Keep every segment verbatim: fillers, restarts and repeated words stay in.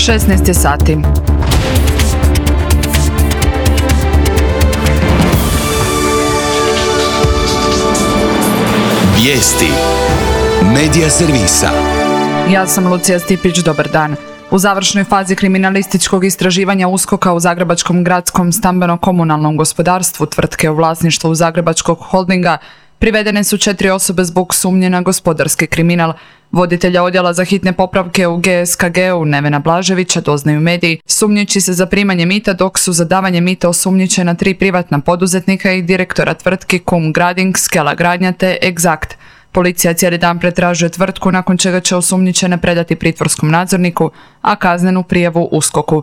šesnaest je sati. Vijesti Medija servisa. Ja sam Lucija Stipić, dobar dan. U završnoj fazi kriminalističkog istraživanja USKOK-a u Zagrebačkom gradskom stambeno-komunalnom gospodarstvu tvrtke u vlasništvu Zagrebačkog holdinga privedene su četiri osobe zbog sumnje na gospodarski kriminal. Voditelja odjela za hitne popravke u G S K G-u Nevena Blaževića doznaju mediji, sumnjiči se za primanje mita, dok su za davanje mita osumnjičena tri privatna poduzetnika i direktora tvrtki Kum Grading, Skela Gradnja te Exact. Policija cijeli dan pretražuje tvrtku, nakon čega će osumnjičene predati pritvorskom nadzorniku, a kaznenu prijavu USKOK-u.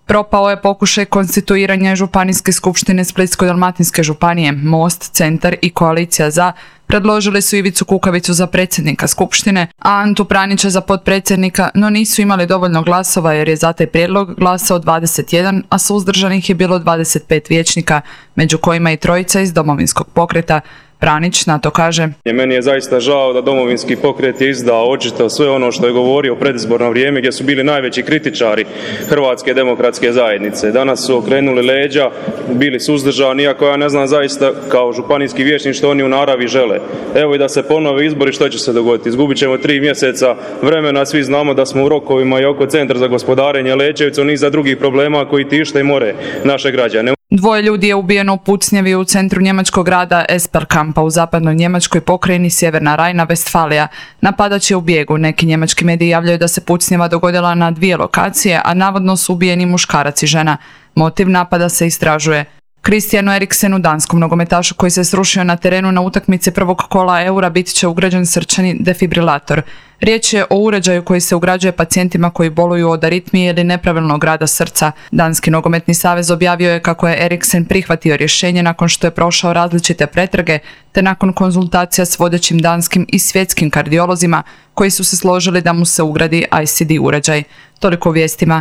Propao je pokušaj konstituiranja Županijske skupštine Splitsko-dalmatinske županije. Most, Centar i Koalicija za predložili su Ivicu Kukavicu za predsjednika skupštine, a Antu Pranića za potpredsjednika, no nisu imali dovoljno glasova jer je za taj prijedlog glasao dvadeset jedan, a suzdržanih je bilo dvadeset pet vijećnika, među kojima i trojica iz Domovinskog pokreta. Pranić na to kaže: Meni je zaista žao da Domovinski pokret je izdao očito sve ono što je govorio u predizborno vrijeme, gdje su bili najveći kritičari Hrvatske demokratske zajednice. Danas su okrenuli leđa, bili suzdržani, iako ja ne znam zaista kao županijski vijećnik što oni u naravi žele. Evo i da se ponove izbori, što će se dogoditi? Izgubit ćemo tri mjeseca vremena, svi znamo da smo u rokovima i oko Centra za gospodarenje Lećevicom, niza drugih problema koji tište i more naše građane. Dvoje ljudi je ubijeno u pucnjavi u centru njemačkog grada Esperkampa u zapadnoj njemačkoj pokrajini Sjeverna Rajna-Vestfalija. Napadač je u bijegu. Neki njemački mediji javljaju da se pucnjava dogodila na dvije lokacije, a navodno su ubijeni muškarac i žena. Motiv napada se istražuje. Kristijanu Eriksenu, danskom nogometašu koji se srušio na terenu na utakmici prvog kola Eura, bit će ugrađen srčani defibrilator. Riječ je o uređaju koji se ugrađuje pacijentima koji boluju od aritmije ili nepravilnog rada srca. Danski nogometni savez objavio je kako je Eriksen prihvatio rješenje nakon što je prošao različite pretrage, te nakon konzultacija s vodećim danskim i svjetskim kardiolozima koji su se složili da mu se ugradi I C D uređaj. Toliko u vijestima.